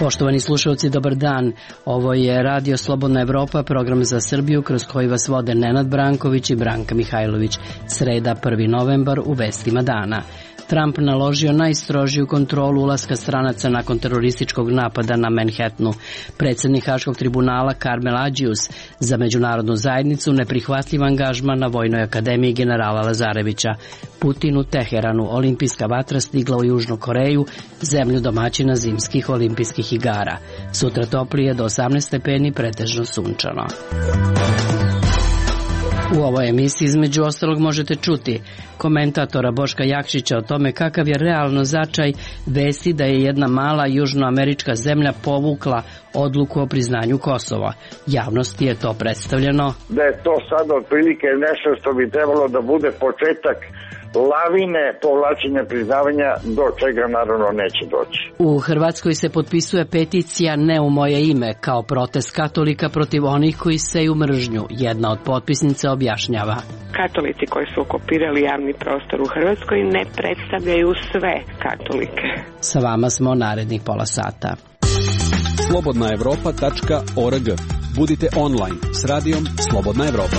Poštovani slušalci, dobar dan. Ovo je Radio Slobodna Evropa, program za Srbiju kroz koji vas vode Nenad Branković i Branka Mihajlović. Sreda, 1. novembar, u vestima dana. Trump naložio najstrožiju kontrolu ulaska stranaca nakon terorističkog napada na Manhattanu. Predsjednik Haškog tribunala Karmel Adžius za međunarodnu zajednicu neprihvatljiv angažman na Vojnoj akademiji generala Lazarevića. Putin u Teheranu, olimpijska vatra stigla u Južnu Koreju, zemlju domaćina zimskih olimpijskih igara. Sutra toplije do 18 stepeni, pretežno sunčano. U ovoj emisiji između ostalog možete čuti komentatora Boška Jakšića o tome kakav je realno značaj vesti da je jedna mala južnoamerička zemlja povukla odluku o priznanju Kosova. Javnosti je to predstavljeno da je to sad otprilike nešto što bi trebalo da bude početak lavine povlačenja priznavanja, do čega naravno neće doći. U Hrvatskoj se potpisuje peticija Ne u moje ime kao protest katolika protiv onih koji seju mržnju. Jedna od potpisnica objašnjava. Katolici koji su okupirali javni prostor u Hrvatskoj ne predstavljaju sve katolike. Sa vama smo narednih pola sata. slobodnaevropa.org. Budite online s radijom Slobodna Evropa.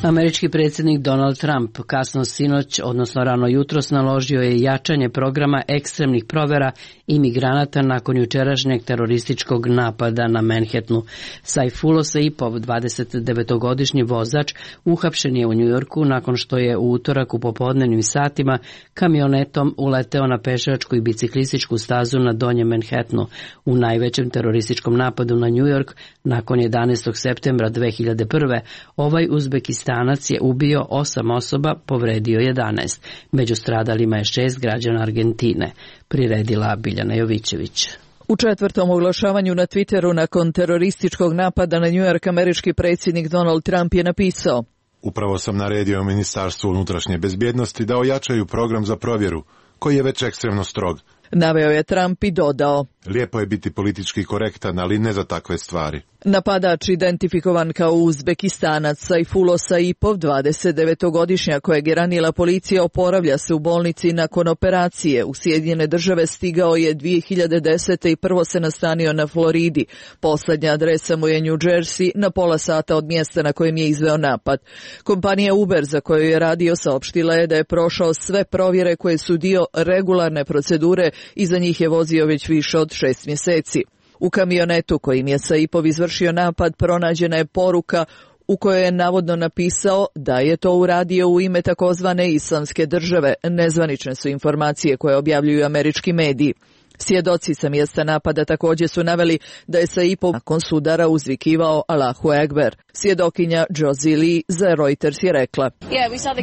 Američki predsjednik Donald Trump kasno sinoć, odnosno rano jutros, naložio je jačanje programa ekstremnih provjera imigranata nakon jučerašnjeg terorističkog napada na Manhattanu. Saifullah Saipov, 29-godišnji vozač, uhapšen je u Njujorku nakon što je u utorak u popodnevnim satima kamionetom uleteo na pešačku i biciklističku stazu na Donjem Manhattanu. U najvećem terorističkom napadu na Njujork nakon 11. septembra 2001. ovaj Uzbekistanac je ubio 8 osoba, povredio 11. Među stradalima je 6 građana Argentine, priredila Biljana Jovićević. U četvrtom oglašavanju na Twitteru nakon terorističkog napada na Njujork američki predsjednik Donald Trump je napisao: Upravo sam naredio Ministarstvu unutrašnje bezbjednosti da ojačaju program za provjeru, koji je već ekstremno strog. Naveo je Trump i dodao: Lijepo je biti politički korektan, ali ne za takve stvari. Napadač, identifikovan kao Uzbekistanac Saifullah Saipov, 29-godišnjak kojeg je ranila policija, oporavlja se u bolnici nakon operacije. U Sjedinjene Države stigao je 2010. i prvo se nastanio na Floridi. Poslednja adresa mu je New Jersey, na pola sata od mjesta na kojem je izveo napad. Kompanija Uber, za koju je radio, saopštila je da je prošao sve provjere koje su dio regularne procedure i za njih je vozio već više od 6 mjeseci. U kamionetu kojim je Saipov izvršio napad pronađena je poruka u kojoj je navodno napisao da je to uradio u ime takozvane Islamske države. Nezvanične su informacije koje objavljuju američki mediji. Svjedoci sa mjesta napada također su naveli da je Saipov nakon sudara uzvikivao Allahu Ekber. Svjedokinja Josie Lee za Reuters je rekla: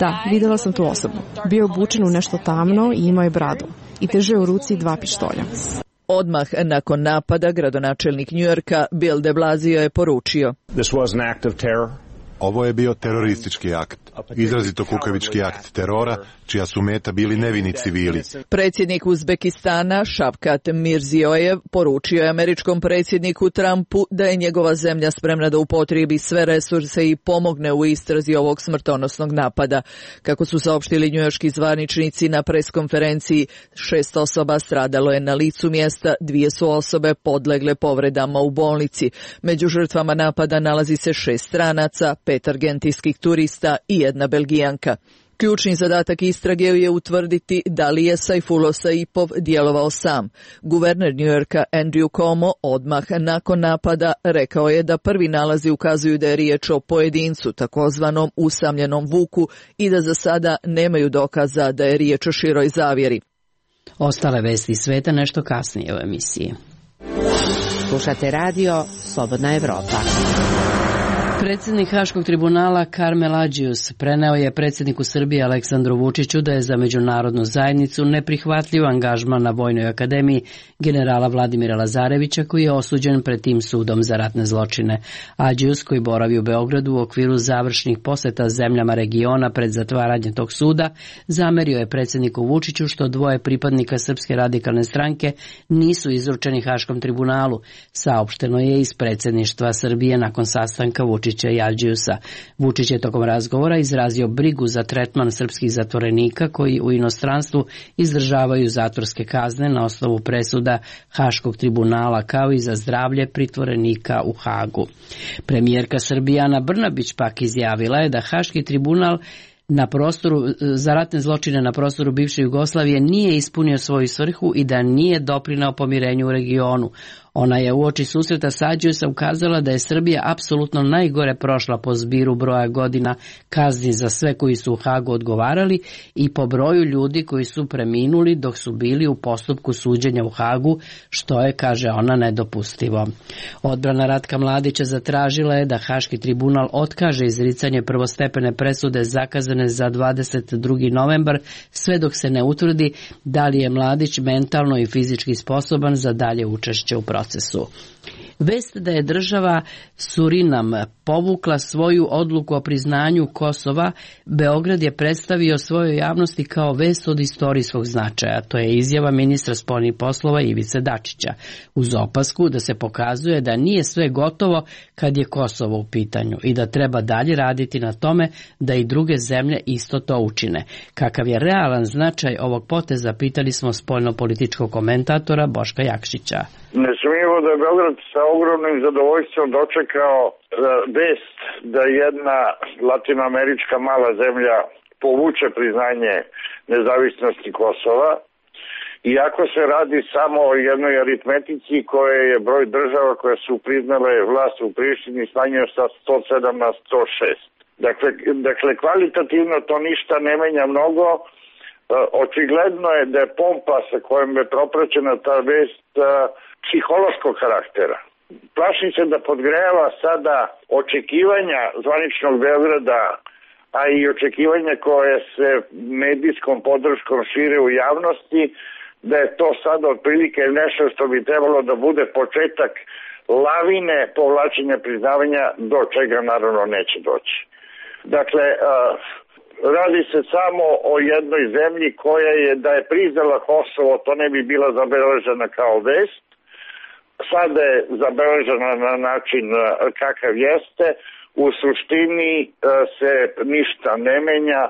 Da, vidjela sam tu osobu. Bio obučen u nešto tamno i imao je bradu. I držao u ruci 2 pištolja. Odmah nakon napada gradonačelnik Njujorka Bill de Blasio je poručio: Ovo je bio teroristički akt, izrazito kukavički akt terora, čija su meta bili nevini civili. Predsjednik Uzbekistana Shavkat Mirziyoyev poručio je američkom predsjedniku Trumpu da je njegova zemlja spremna da upotrijebi sve resurse i pomogne u istrazi ovog smrtonosnog napada. Kako su saopštili njujorški zvaničnici na preskonferenciji, 6 osoba stradalo je na licu mjesta, 2 su osobe podlegle povredama u bolnici. Među žrtvama napada nalazi se 6 stranaca, 5 argentinskih turista i 1 Belgijanka. Ključni zadatak istrage je utvrditi da li je Saifullah Saipov djelovao sam. Guverner Njujorka Andrew Cuomo odmah nakon napada rekao je da prvi nalazi ukazuju da je riječ o pojedincu, takozvanom usamljenom vuku, i da za sada nemaju dokaza da je riječ o široj zavjeri. Ostale vesti sveta nešto kasnije u emisiji. Slušate radio Slobodna Evropa. Predsjednik Haškog tribunala Karmel Adžius preneo je predsjedniku Srbije Aleksandru Vučiću da je za međunarodnu zajednicu neprihvatljiv angažman na Vojnoj akademiji generala Vladimira Lazarevića, koji je osuđen pred tim sudom za ratne zločine. Adžius, koji boravi u Beogradu u okviru završnih posjeta zemljama regiona pred zatvaranje tog suda, zamerio je predsjedniku Vučiću što 2 pripadnika Srpske radikalne stranke nisu izručeni Haškom tribunalu. Saopšteno je iz predsjedništva Srbije nakon sastanka Vučića Dačića i Aldžiusa. Vučić je tokom razgovora izrazio brigu za tretman srpskih zatvorenika koji u inostranstvu izdržavaju zatvorske kazne na osnovu presuda Haškog tribunala, kao i za zdravlje pritvorenika u Hagu. Premijerka Srbije Ana Brnabić pak izjavila je da Haški tribunal na prostoru za ratne zločine na prostoru bivše Jugoslavije nije ispunio svoju svrhu i da nije doprineo pomirenju u regionu. Ona je uoči susreta sa Aldžiusom ukazala da je Srbija apsolutno najgore prošla po zbiru broja godina kazni za sve koji su u Hagu odgovarali i po broju ljudi koji su preminuli dok su bili u postupku suđenja u Hagu, što je, kaže ona, nedopustivo. Odbrana Ratka Mladića zatražila je da Haški tribunal otkaže izricanje prvostepene presude zakazane za 22. novembar, sve dok se ne utvrdi da li je Mladić mentalno i fizički sposoban za dalje učešće u procesu. Vest da je država Surinam povukla svoju odluku o priznanju Kosova, Beograd je predstavio svojoj javnosti kao vest od istorijskog značaja. To je izjava ministra spoljnih poslova Ivice Dačića, uz opasku da se pokazuje da nije sve gotovo kad je Kosovo u pitanju i da treba dalje raditi na tome da i druge zemlje isto to učine. Kakav je realan značaj ovog poteza, pitali smo spoljno-političkog komentatora Boška Jakšića. Nesumnjivo da je Beograd sa ogromnim zadovoljstvom dočekao vest da jedna latinoamerička mala zemlja povuče priznanje nezavisnosti Kosova, iako se radi samo o jednoj aritmetici koje je broj država koje su priznale vlast u Prištini smanjio sa 107 na 106. Dakle, kvalitativno to ništa ne menja mnogo. Očigledno je da je pompa sa kojom je propraćena ta vest psihološkog karaktera. Plašim se da podgreva sada očekivanja zvaničnog Beograda, a i očekivanja koje se medijskom podrškom šire u javnosti, da je to sada otprilike nešto što bi trebalo da bude početak lavine povlačenja priznavanja, do čega naravno neće doći. Dakle, radi se samo o jednoj zemlji koja je, da je priznala Kosovo, to ne bi bila zabeležena kao vest. Sada je zabeležena na način kakav jeste. U suštini se ništa ne menja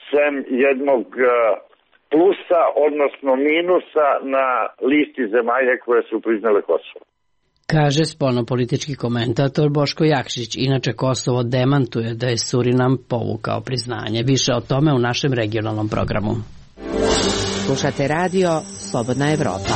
sem jednog plusa, odnosno minusa na listi zemalja koje su priznale Kosovo. Kaže spoljnopolitički komentator Boško Jakšić. Inače, Kosovo demantuje da je Surinam povukao priznanje. Više o tome u našem regionalnom programu. Slušate radio Slobodna Evropa.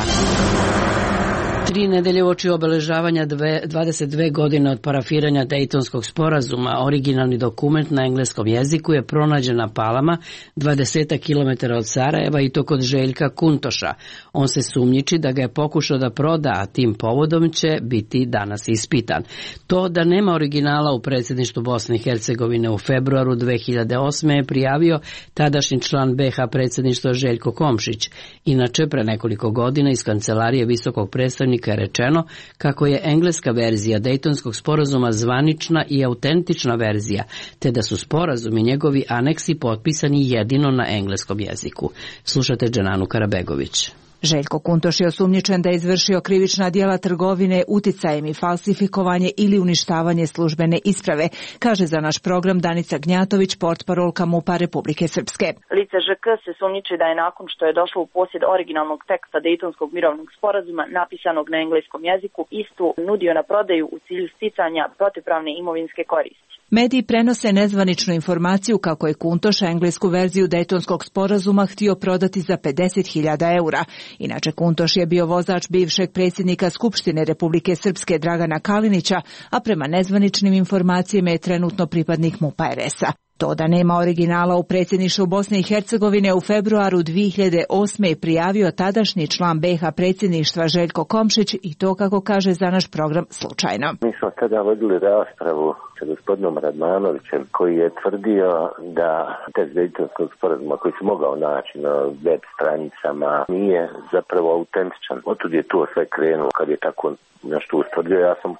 3 nedelje uoči obeležavanja 22 godine od parafiranja Dejtonskog sporazuma, originalni dokument na engleskom jeziku je pronađen na Palama, 20 km od Sarajeva, i to kod Željka Kuntoša. On se sumnjiči da ga je pokušao da proda, a tim povodom će biti danas ispitan. To da nema originala u predsjedništvu Bosne i Hercegovine u februaru 2008. je prijavio tadašnji član BiH predsjedništva Željko Komšić. Inače, pre nekoliko godina iz kancelarije visokog predstavnika je rečeno kako je engleska verzija Dejtonskog sporazuma zvanična i autentična verzija, te da su sporazum i njegovi aneksi potpisani jedino na engleskom jeziku. Slušate Dženanu Karabegović. Željko Kuntoš je osumnjičen da je izvršio krivična djela trgovine uticajem i falsifikovanje ili uništavanje službene isprave, kaže za naš program Danica Gnjatović, portparolka MUP-a Republike Srpske. Lice ŽK se sumnjiči da je nakon što je došlo u posjed originalnog teksta Dejtonskog mirovnog sporazuma napisanog na engleskom jeziku, istu nudio na prodaju u cilju sticanja protivpravne imovinske koristi. Mediji prenose nezvaničnu informaciju kako je Kuntoš englesku verziju Dejtonskog sporazuma htio prodati za 50.000 eura. Inače, Kuntoš je bio vozač bivšeg predsjednika Skupštine Republike Srpske Dragana Kalinića, a prema nezvaničnim informacijama je trenutno pripadnik MUP-a RS-a. To da nema originala u predsjedništvu Bosne i Hercegovine u februaru 2008. je prijavio tadašnji član BiH predsjedništva Željko Komšić, i to, kako kaže za naš program, slučajno. Mi smo tada vodili raspravu sa gospodinom Radmanovićem, koji je tvrdio da tekst Dejtonskog sporazuma koji se mogao naći na web stranicama nije zapravo autentičan. Otud je to sve krenulo. Kad je tako nešto ustvrdio, ja sam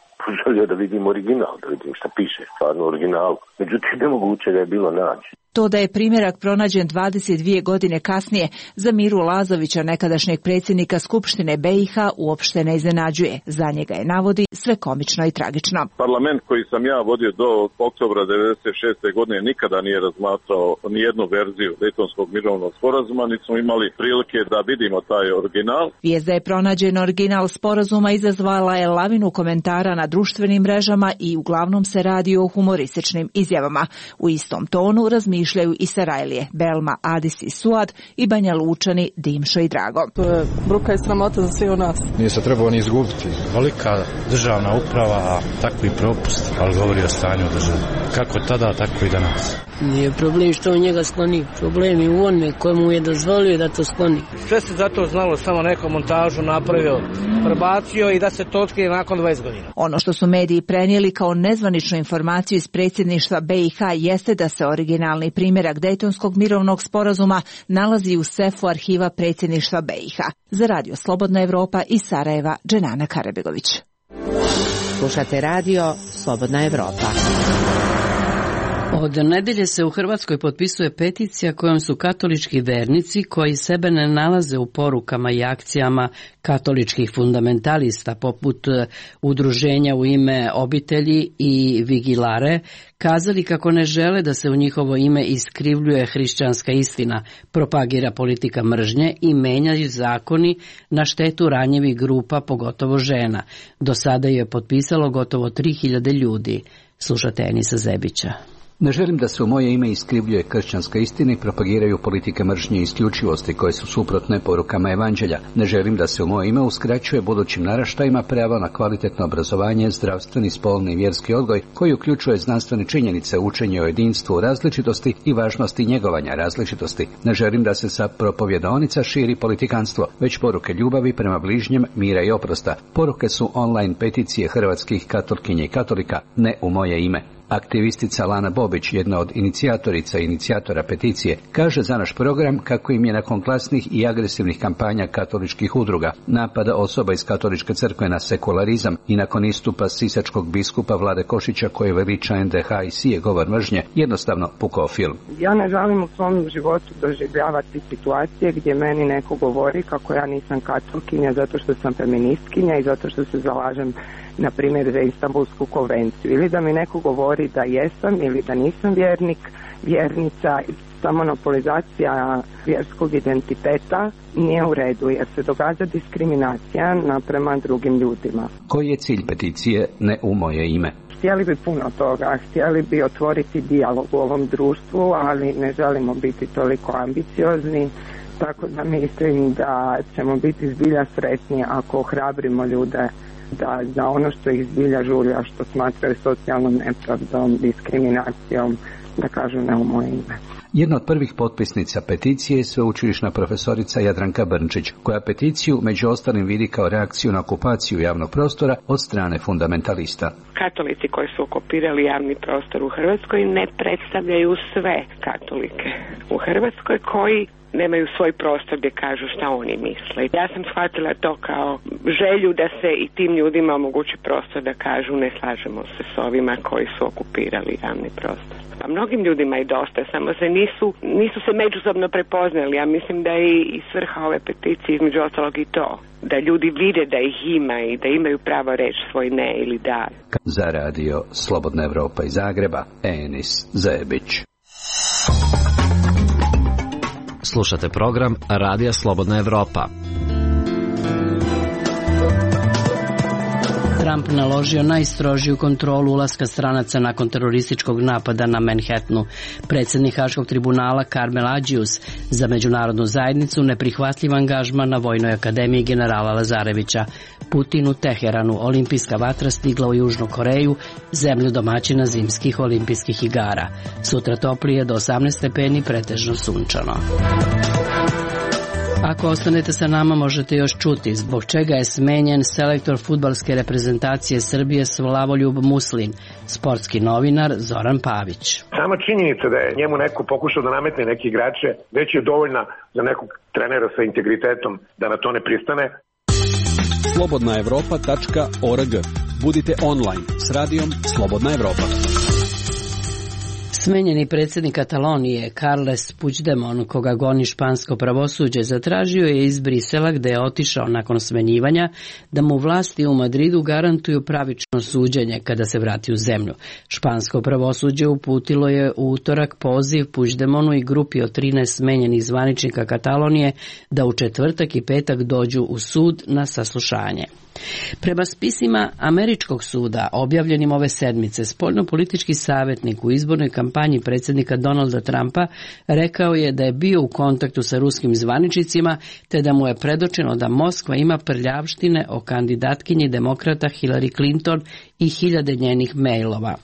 želio da vidim original, da vidim šta piše stvarno u originalu. Međutim, nemoguće da je bilo naći. To da je primjerak pronađen 22 godine kasnije za Miru Lazovića, nekadašnjeg predsjednika Skupštine BiH, uopšte ne iznenađuje. Za njega je, navodi, sve komično i tragično. Parlament koji sam ja vodio do oktobra 1996. godine nikada nije razmatrao nijednu verziju Dejtonskog mirovnog sporazuma, niti smo imali prilike da vidimo taj original. Vijest da je pronađen original sporazuma izazvala je lavinu komentara na društvenim mrežama i uglavnom se radi o humorističnim izjavama. U istom tonu razmišljaju i Sarajlije, Belma, Adis i Suad i Banja Lučani, Dimšo i Drago. To je bruka i sramota za sve u nas. Nije se trebao ni izgubiti. Velika državna uprava, a takvi propust, ali govori o stanju države. Kako tada, tako i danas. Nije problem što on njega skloni. Problem je u onome kojemu je dozvolio da to skloni. Sve se zato znalo, samo neku montažu napravio, prebacio i da se to otkrije nakon 20 godina. Ono što su mediji prenijeli kao nezvaničnu informaciju iz predsjedništva BiH jeste da se originalni primjerak Dejtonskog mirovnog sporazuma nalazi u sefu arhiva predsjedništva BiH. Za Radio Slobodna Evropa iz Sarajeva, Dženana Karabegović. Slušate radio Slobodna Evropa. Od nedelje se u Hrvatskoj potpisuje peticija kojom su katolički vernici koji sebe ne nalaze u porukama i akcijama katoličkih fundamentalista poput udruženja u ime obitelji i Vigilare kazali kako ne žele da se u njihovo ime iskrivljuje hrišćanska istina, propagira politika mržnje i menjaju zakoni na štetu ranjivih grupa, pogotovo žena. Do sada je potpisalo gotovo 3000 ljudi. Slušate Enisa Zebića. Ne želim da se u moje ime iskrivljuje kršćanska istina i propagiraju politike mržnje i isključivosti koje su suprotne porukama evanđelja. Ne želim da se u moje ime uskraćuje budućim naraštajima pravo na kvalitetno obrazovanje, zdravstveni, spolni i vjerski odgoj koji uključuje znanstvene činjenice, učenje o jedinstvu, različitosti i važnosti njegovanja različitosti. Ne želim da se sa propovjedaonica širi politikanstvo, već poruke ljubavi prema bližnjem, mira i oprosta. Poruke su online peticije hrvatskih katolkinja i katolika, ne u moje ime. Aktivistica Lana Bobić, jedna od inicijatorica i inicijatora peticije, kaže za naš program kako im je nakon glasnih i agresivnih kampanja katoličkih udruga, napada osoba iz katoličke crkve na sekularizam i nakon istupa sisačkog biskupa Vlade Košića koji veliča NDH i sije govor mržnje, jednostavno pukao film. Ja ne želim u svom životu doživljavati situacije gdje meni neko govori kako ja nisam katolkinja zato što sam feministkinja i zato što se zalažem na primjer za Istanbulsku konvenciju, ili da mi neko govori da jesam ili da nisam vjernik, vjernica. Ta monopolizacija vjerskog identiteta nije u redu jer se događa diskriminacija naprema drugim ljudima. Koji je cilj peticije ne u moje ime? Htjeli bi puno toga, htjeli bi otvoriti dijalog u ovom društvu, ali ne želimo biti toliko ambiciozni, tako da mislim da ćemo biti zbilja sretni ako ohrabrimo ljude da za ono što ih zbilja žulja, što smatraju socijalnom nepravdom, diskriminacijom, da kažu ne u moje ime. Jedna od prvih potpisnica peticije je sveučilišna profesorica Jadranka Brnčić, koja peticiju među ostalim vidi kao reakciju na okupaciju javnog prostora od strane fundamentalista. Katolici koji su okupirali javni prostor u Hrvatskoj ne predstavljaju sve katolike u Hrvatskoj koji nemaju svoj prostor gdje kažu šta oni misle. Ja sam shvatila to kao želju da se i tim ljudima omogući prostor da kažu ne slažemo se s ovima koji su okupirali javni prostor. A mnogim ljudima je dosta, samo se nisu se međusobno prepoznali. Ja mislim da je i svrha ove peticije između ostalog i to, da ljudi vide da ih ima i da imaju pravo reći svoj ne ili da. Za radio Slobodna Evropa iz Zagreba, Enis Zebić. Slušate program Radija Slobodna Evropa. Trump naložio najstrožiju kontrolu ulaska stranaca nakon terorističkog napada na Manhattanu. Predsjednik Haškog tribunala Karmel Adžius za međunarodnu zajednicu neprihvatljiv angažman na Vojnoj akademiji generala Lazarevića. Putin u Teheranu, olimpijska vatra stigla u Južnu Koreju, zemlju domaćina zimskih olimpijskih igara. Sutra toplije do 18 stepeni, pretežno sunčano. Ako ostanete sa nama možete još čuti zbog čega je smenjen selektor fudbalske reprezentacije Srbije Slavoljub Muslin, sportski novinar Zoran Pavić. Sama činjenica da je njemu neko pokušao da nametne neke igrače već je dovoljna za nekog trenera sa integritetom da na to ne pristane. slobodnaevropa.org. Budite online s radijom Slobodna Evropa. Smenjeni predsjednik Katalonije Carles Puigdemont, koga goni špansko pravosuđe, zatražio je iz Brisela, gde je otišao nakon smenjivanja, da mu vlasti u Madridu garantuju pravično suđenje kada se vrati u zemlju. Špansko pravosuđe uputilo je u utorak poziv Puigdemontu i grupi od 13 smenjenih zvaničnika Katalonije da u četvrtak i petak dođu u sud na saslušanje. Prema spisima američkog suda objavljenim ove sedmice, spoljnopolitički savjetnik u izbornoj kampanji predsjednika Donalda Trumpa rekao je da je bio u kontaktu sa ruskim zvaničnicima te da mu je predočeno da Moskva ima prljavštine o kandidatkinji demokrata Hillary Clinton i hiljade njenih mailova.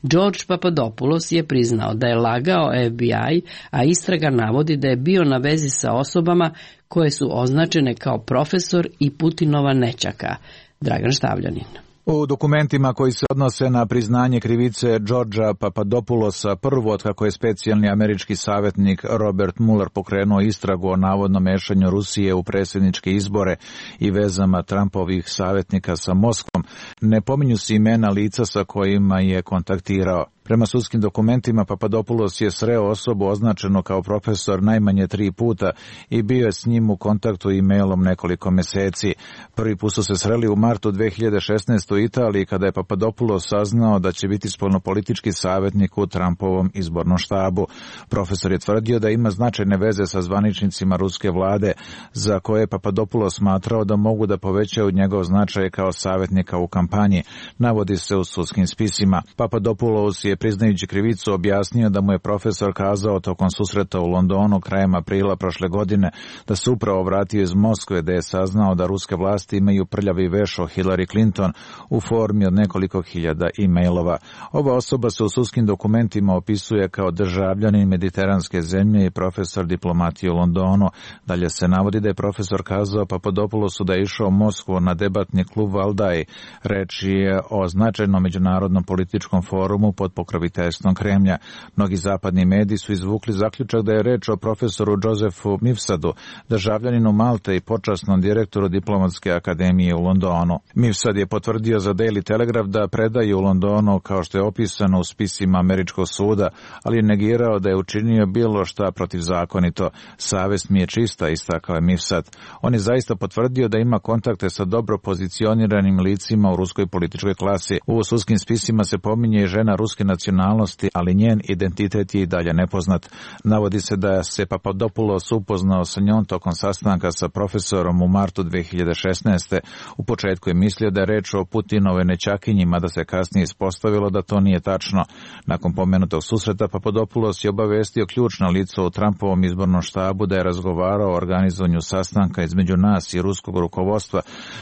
George Papadopoulos je priznao da je lagao FBI, a istraga navodi da je bio na vezi sa osobama koje su označene kao profesor i Putinova nećaka. Dragan Štavljanin. U dokumentima koji se odnose na priznanje krivice Georgea Papadopoulosa, prvo od kako je specijalni američki savjetnik Robert Mueller pokrenuo istragu o navodnom mešanju Rusije u predsjedničke izbore i vezama Trumpovih savjetnika sa Moskvom, ne pominju se imena lica sa kojima je kontaktirao. Prema sudskim dokumentima, Papadopoulos je sreo osobu označenu kao profesor najmanje 3 puta i bio je s njim u kontaktu e-mailom nekoliko meseci. Prvi put su se sreli u martu 2016. u Italiji, kada je Papadopoulos saznao da će biti spoljnopolitički savjetnik u Trumpovom izbornom štabu. Profesor je tvrdio da ima značajne veze sa zvaničnicima ruske vlade, za koje je Papadopoulos smatrao da mogu da povećaju njegov značaj kao savjetnika u kampanji, navodi se u sudskim spisima. Papadopoulos je priznajući krivicu objasnio da mu je profesor kazao tokom susreta u Londonu krajem aprila prošle godine da se upravo vratio iz Moskve, da je saznao da ruske vlasti imaju prljavi veš o Hillary Clinton u formi od nekoliko hiljada e-mailova. Ova osoba se u sudskim dokumentima opisuje kao državljanin mediteranske zemlje i profesor diplomatije u Londonu. Dalje se navodi da je profesor kazao Papadopoulosu da je išao u Moskvu na debatni klub Valdaj. Reč je o značajnom međunarodnom političkom forumu pod pokroviteljstvom Kremlja. Mnogi zapadni mediji su izvukli zaključak da je reč o profesoru Josefu Mifsadu, državljaninu Malte i počasnom direktoru diplomatske akademije u Londonu. Mifsad je potvrdio za Daily Telegraph da predaje u Londonu kao što je opisano u spisima američkog suda, ali je negirao da je učinio bilo šta protivzakonito. Savest mi je čista, istakao je Mifsad. On je zaista potvrdio da ima kontakte sa dobro pozicioniranim licima u ruskoj političkoj klasi. U sudskim spisima se pominje i žena ruske nacionalnosti, ali njen identitet je i dalje nepoznat. Navodi se da se Papadopoulos upoznao sa njom tokom sastanka sa profesorom u martu 2016. U početku je mislio da je reč o Putinove nećakinji, mada se kasnije ispostavilo da to nije tačno. Nakon pomenutog susreta Papadopoulos je obavestio ključno lice u Trumpovom izbornom štabu da je razgovarao o organizovanju sastanka između nas i ruskog rukovodstva,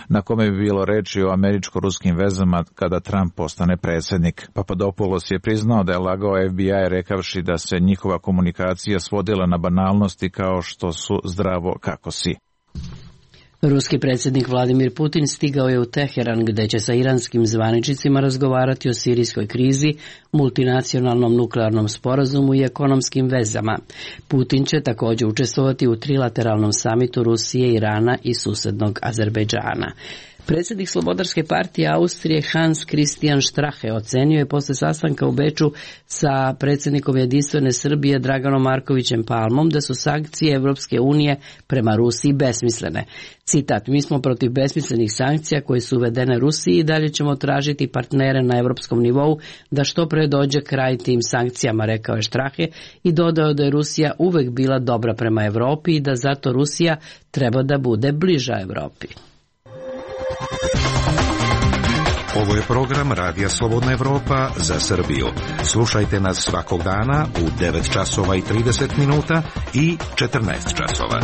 na kome bi bilo reči o američko-ruskim vezama kada Trump postane predsjednik. Papadopoulos je priznao da je lagao FBI rekavši da se njihova komunikacija svodila na banalnosti kao što su zdravo kako si. Ruski predsjednik Vladimir Putin stigao je u Teheran, gde će sa iranskim zvaničnicima razgovarati o sirijskoj krizi, multinacionalnom nuklearnom sporazumu i ekonomskim vezama. Putin će također učestvovati u trilateralnom samitu Rusije, Irana i susednog Azerbejdžana. Predsjednik Slobodarske partije Austrije Hans Christian Strache ocenio je posle sastanka u Beču sa predsjednikom Jedinstvene Srbije Draganom Markovićem Palmom da su sankcije Evropske unije prema Rusiji besmislene. Citat: "Mi smo protiv besmislenih sankcija koje su uvedene Rusiji i dalje ćemo tražiti partnere na evropskom nivou da što pre dođe kraj tim sankcijama", rekao je Strache i dodao da je Rusija uvek bila dobra prema Evropi i da zato Rusija treba da bude bliža Evropi. Ovo je program Radija Slobodna Evropa za Srbiju. Slušajte nas svakog dana u 9 časova i 30 minuta i 14 časova.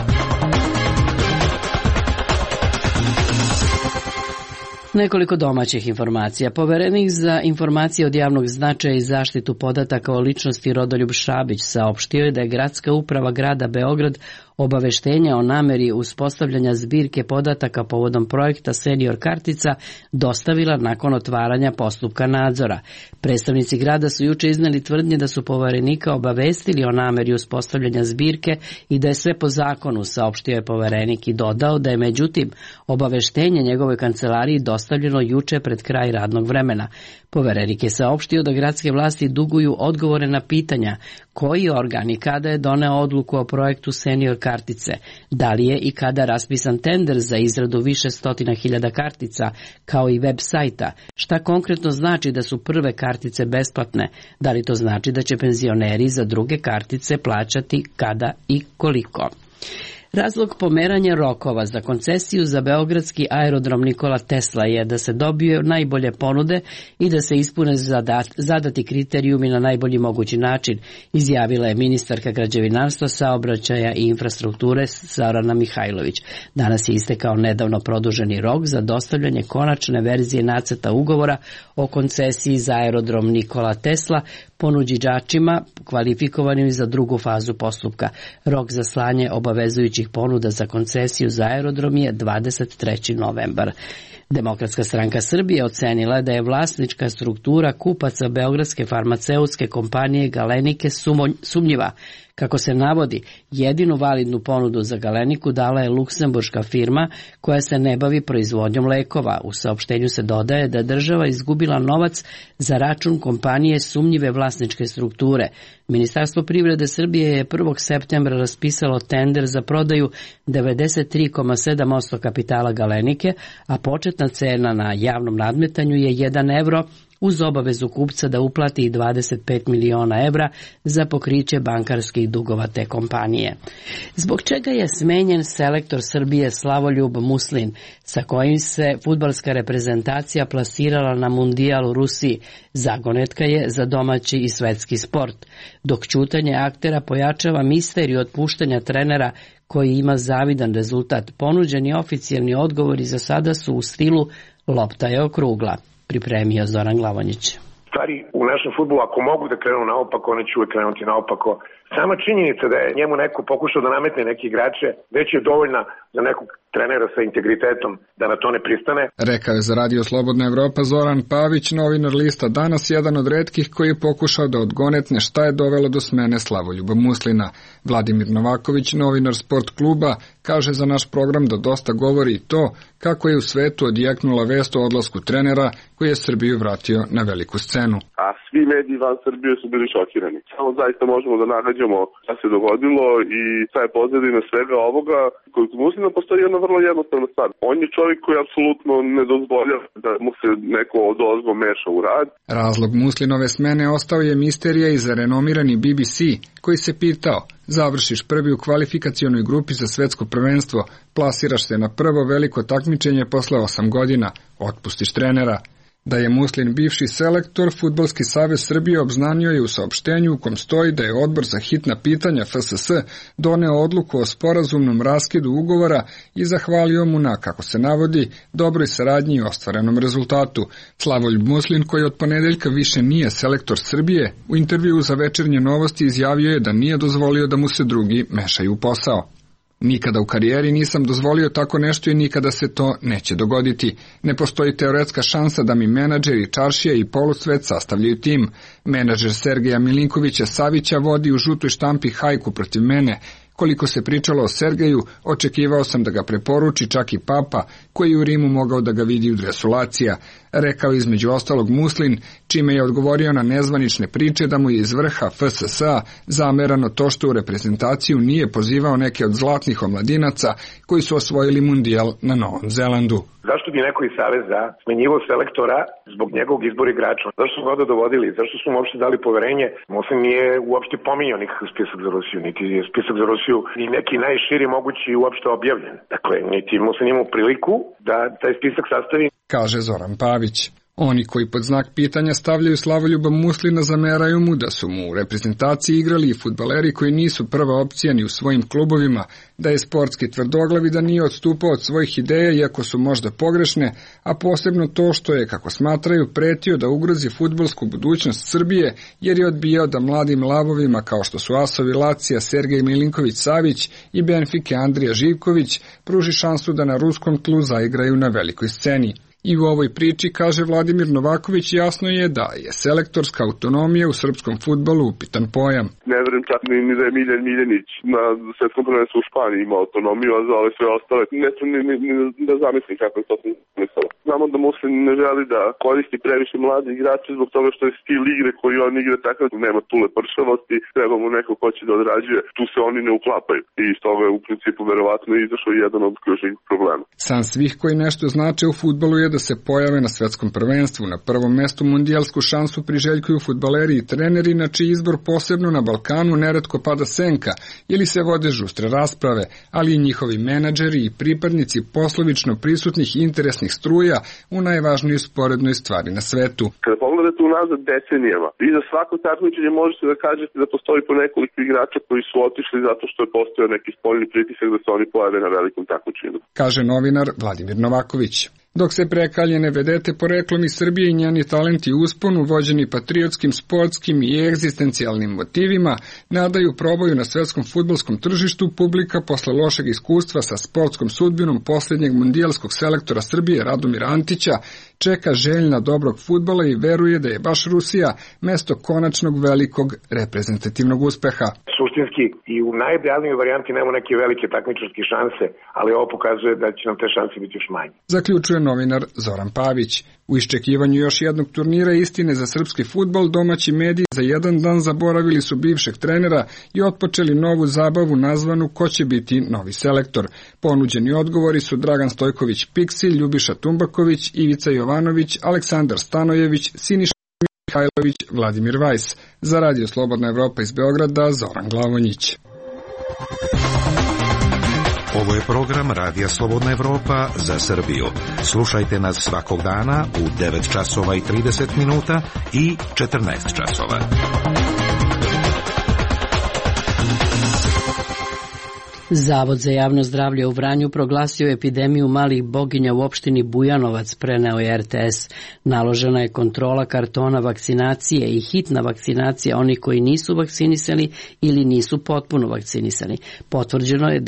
Nekoliko domaćih informacija. Poverenik za informacije od javnog značaja i zaštitu podataka o ličnosti Rodoljub Šabić saopštio je da je Gradska uprava grada Beograd obaveštenja o nameri uspostavljanja zbirke podataka povodom projekta Senior kartica dostavila nakon otvaranja postupka nadzora. Predstavnici grada su juče izneli tvrdnje da su poverenika obavestili o nameri uspostavljanja zbirke i da je sve po zakonu, saopštio je poverenik i dodao da je međutim obaveštenje njegovoj kancelariji dostavljeno juče pred kraj radnog vremena. Poverenik je saopštio da gradske vlasti duguju odgovore na pitanja koji organ i kada je doneo odluku o projektu Senior kartice, da li je i kada raspisan tender za izradu više stotina hiljada kartica, kao i web sajta, šta konkretno znači da su prve kartice besplatne, da li to znači da će penzioneri za druge kartice plaćati kada i koliko. Razlog pomeranja rokova za koncesiju za beogradski aerodrom Nikola Tesla je da se dobiju najbolje ponude i da se ispune zadati kriterijumi na najbolji mogući način, izjavila je ministarka građevinarstva, saobraćaja i infrastrukture Zorana Mihajlović. Danas je istekao nedavno produženi rok za dostavljanje konačne verzije nacrta ugovora o koncesiji za aerodrom Nikola Tesla ponuđiđačima kvalifikovanim za drugu fazu postupka. Rok za slanje obavezujućih ponuda za koncesiju za aerodrom je 23. novembar. Demokratska stranka Srbije ocenila da je vlasnička struktura kupaca beogradske farmaceutske kompanije Galenike sumnjiva. Kako se navodi, jedinu validnu ponudu za Galeniku dala je luksemburška firma koja se ne bavi proizvodnjom lekova. U saopštenju se dodaje da je država izgubila novac za račun kompanije sumnjive vlasničke strukture. Ministarstvo privrede Srbije je 1. septembra raspisalo tender za prodaju 93,7% kapitala Galenike, a početna cena na javnom nadmetanju je 1 evro, uz obavezu kupca da uplati 25 miliona evra za pokriće bankarskih dugova te kompanije. Zbog čega je smenjen selektor Srbije Slavoljub Muslin, sa kojim se fudbalska reprezentacija plasirala na mundijal u Rusiji, zagonetka je za domaći i svetski sport, dok ćutanje aktera pojačava misteriju otpuštanja trenera koji ima zavidan rezultat. Ponuđeni oficijalni odgovori za sada su u stilu lopta je okrugla, pripremio Zoran Glavonjić. Stvari u našem fudbalu, ako mogu da krenu naopako, one će uvek krenuti naopako. Sama činjenica da je njemu neko pokušao da nametne neke igrače, već je dovoljna za nekog trenera sa integritetom da na to ne pristane. Rekao je za Radio Slobodna Evropa Zoran Pavić, novinar lista Danas, jedan od retkih koji je pokušao da odgonetne šta je dovelo do smene Slavoljuba Muslina. Vladimir Novaković, novinar Sport kluba, kaže za naš program da dosta govori i to kako je u svetu odjeknula vest o odlasku trenera koji je Srbiju vratio na veliku scenu. A svi mediji van Srbije su bili šokirani. Samo zaista možemo da nagađamo šta se dogodilo i šta je pozadina svega ovoga. Kod Muslina postoji jedna vrlo jednostavna stvar. On je čovjek koji apsolutno ne dozvoljava da mu se neko odozgo meša u rad. Razlog Muslinove smene ostao je misterija i za renomirani BBC, koji se pitao: završiš prvi u kvalifikacionoj grupi za svetsko prvenstvo, plasiraš se na prvo veliko takmičenje posle 8 godina, otpustiš trenera. Da je Muslin bivši selektor, Fudbalski savez Srbije obznanio je u saopštenju u kom stoji da je odbor za hitna pitanja FSS doneo odluku o sporazumnom raskidu ugovora i zahvalio mu na, kako se navodi, dobroj saradnji i ostvarenom rezultatu. Slavoljub Muslin, koji od ponedeljka više nije selektor Srbije, u intervjuu za Večernje novosti izjavio je da nije dozvolio da mu se drugi mešaju u posao. Nikada u karijeri nisam dozvolio tako nešto i nikada se to neće dogoditi. Ne postoji teoretska šansa da mi menadžeri, čaršija i polusvet sastavljaju tim. Menadžer Sergeja Milinkovića Savića vodi u žutoj štampi hajku protiv mene. Koliko se pričalo o Sergeju, očekivao sam da ga preporuči čak i Papa, koji je u Rimu mogao da ga vidi u dresu Lacija, rekao između ostalog Muslin, čime je odgovorio na nezvanične priče da mu je iz vrha FSS-a zamerano to što u reprezentaciju nije pozivao neke od zlatnih omladinaca koji su osvojili mundijal na Novom Zelandu. Zašto bi neko iz Saveza smenjivao selektora zbog njegovog izbora igrača? Zašto su ga dovodili? Zašto su mu uopšte dali poverenje? Muslin nije uopšte pominjao nikakav spisak za Rusiju, niti je spisak za Rusiju ni neki najširi mogući uopšte objavljen. Dakle, niti Muslin imao priliku da taj spisak sastavi. Kaže Zoran Pavić. Oni koji pod znak pitanja stavljaju Slavoljuba Muslina zameraju mu da su mu u reprezentaciji igrali i fudbaleri koji nisu prva opcija ni u svojim klubovima, da je sportski tvrdoglav i da nije odstupao od svojih ideja iako su možda pogrešne, a posebno to što je, kako smatraju, pretio da ugrozi fudbalsku budućnost Srbije jer je odbijao da mladim lavovima kao što su asovi Lacija Sergej Milinković-Savić i Benfike Andrija Živković pruži šansu da na ruskom tlu zaigraju na velikoj sceni. I u ovoj priči, kaže Vladimir Novaković, jasno je da je selektorska autonomija u srpskom fudbalu upitan pojam. Ne verujem čak ni da je Miljan Miljanić na svetskom prvenstvu u Španiji imao autonomiju, a za ove sve ostale neću ni da zamislim kako je to smislilo. Znamo da Muslin ne želi da koristi previše mladi igrače zbog toga što je stil igre koji on igra takav, nema tule pršavosti, treba mu neko ko će da odrađuje, tu se oni ne uklapaju. I iz toga je u principu verovatno izašao jedan od ključnih problema. San svih koji nešto znače u fudbalu je da se pojave na svetskom prvenstvu. Na prvom mestu mundijalsku šansu priželjkuju fudbaleri i treneri, na čiji izbor posebno na Balkanu neretko pada senka ili se vode žustre rasprave, ali i njihovi menadžeri i pripadnici poslovično prisutnih interesnih struja u najvažnijoj sporednoj stvari na svetu. Kada pogledate unazad decenijama, vi za svako takmičenje možete da kažete da postoji po nekoliko igrača koji su otišli zato što je postojao neki spoljni pritisak da se oni pojave na velikom takmičenju, kaže novinar Vladimir Novaković. Dok se prekaljene vedete poreklom iz Srbije i njeni talenti usponu, vođeni patriotskim, sportskim i egzistencijalnim motivima, nadaju probaju na svetskom fudbalskom tržištu, publika posle lošeg iskustva sa sportskom sudbinom posljednjeg mundijalskog selektora Srbije Radomira Antića čeka željna dobrog fudbala i veruje da je baš Rusija mesto konačnog velikog reprezentativnog uspeha. Suštinski i u najrealnijoj varijanti nema neke velike takmičarske šanse, ali ovo pokazuje da će nam te šanse biti još manje. Zaključuje novinar Zoran Pavić. U iščekivanju još jednog turnira istine za srpski fudbal, domaći mediji za jedan dan zaboravili su bivšeg trenera i otpočeli novu zabavu nazvanu Ko će biti novi selektor. Ponuđeni odgovori su Dragan Stojković Piksi, Ljubiša Tumbaković, Ivica Jovanović, Aleksandar Stanojević, Siniša Mihajlović, Vladimir Vajs. Za Radio Slobodna Evropa iz Beograda, Zoran Glavonjić. Ovo je program Radija Slobodna Evropa za Srbiju. Slušajte nas svakog dana u 9 časova i 30 minuta i 14 časova. Zavod za javno zdravlje u Vranju proglasio epidemiju malih boginja u opštini Bujanovac, preneo je RTS. Naložena je kontrola kartona vakcinacije i hitna vakcinacija onih koji nisu vakcinisani ili nisu potpuno vakcinisani. Potvrđeno je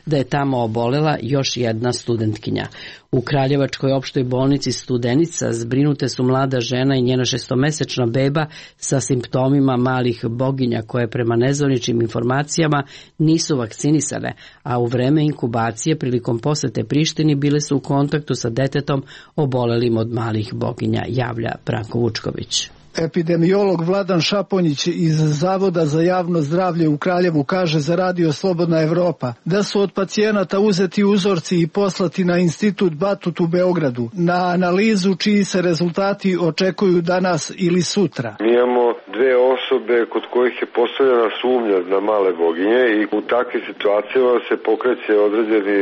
da je tamo obolela još jedna studentkinja. U Kraljevačkoj opštoj bolnici Studenica zbrinute su mlada žena i njena 6-mesečna beba sa simptomima malih boginja koje prema nezvaničnim informacijama nisu vakcinisane, a u vreme inkubacije prilikom posete Prištini bile su u kontaktu sa detetom obolelim od malih boginja, javlja Branko Vučković. Epidemiolog Vladan Šaponjić iz Zavoda za javno zdravlje u Kraljevu kaže za Radio Slobodna Evropa da su od pacijenata uzeti uzorci i poslati na Institut Batut u Beogradu na analizu čiji se rezultati očekuju danas ili sutra. Mi imamo dve osobe kod kojih je postavljena sumnja na male boginje i u takvim situacijama se pokreće određeni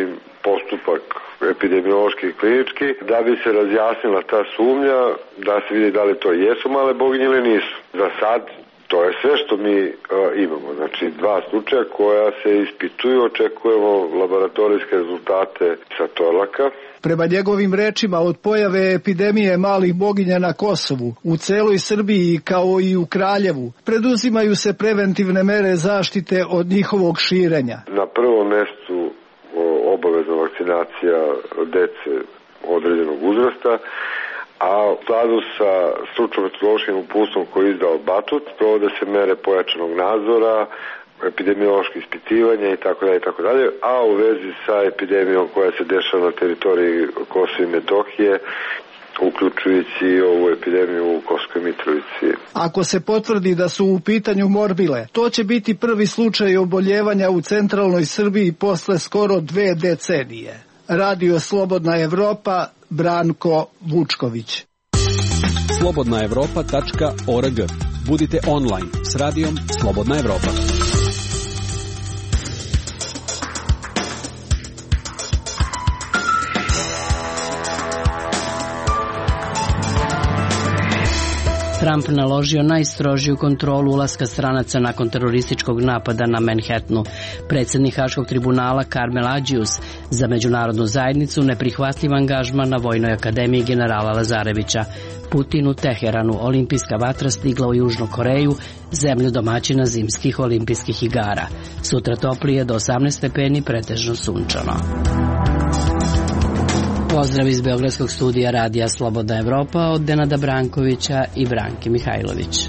postupak epidemiološki i klinički da bi se razjasnila ta sumnja, da se vidi da li to jesu male boginje ili nisu. Za sad to je sve što mi imamo. Znači 2 slučaja koja se ispituju, očekujemo laboratorijske rezultate sa Torlaka. Prema njegovim rečima, od pojave epidemije malih boginja na Kosovu, u celoj Srbiji kao i u Kraljevu, preduzimaju se preventivne mere zaštite od njihovog širenja. Na prvom mestu obavezna vakcinacija dece određenog uzrasta, a u skladu sa stručno-metodološkim uputstvom koji je izdao Batut, provode se mere pojačanog nadzora, epidemiološke ispitivanja itd., a u vezi sa epidemijom koja se dešava na teritoriji Kosova i Metohije, uključujući ovu epidemiju u Kosovskoj Mitrovici. Ako se potvrdi da su u pitanju morbile, to će biti prvi slučaj oboljevanja u centralnoj Srbiji posle skoro 2 decenije. Radio Slobodna Evropa, Branko Vučković. slobodnaevropa.org. Budite online s radijom Slobodna Evropa. Trump naložio najstrožiju kontrolu ulaska stranaca nakon terorističkog napada na Manhattanu. Predsjednik Haškog tribunala Karmel Adžius za međunarodnu zajednicu neprihvatljiv angažman na Vojnoj akademiji generala Lazarevića. Putin u Teheranu, olimpijska vatra stigla u Južnu Koreju, zemlju domaćina zimskih olimpijskih igara. Sutra toplije do 18 stepeni, pretežno sunčano. Pozdrav iz Beogradskog studija Radija Slobodna Evropa od Denada Brankovića i Branke Mihajlović.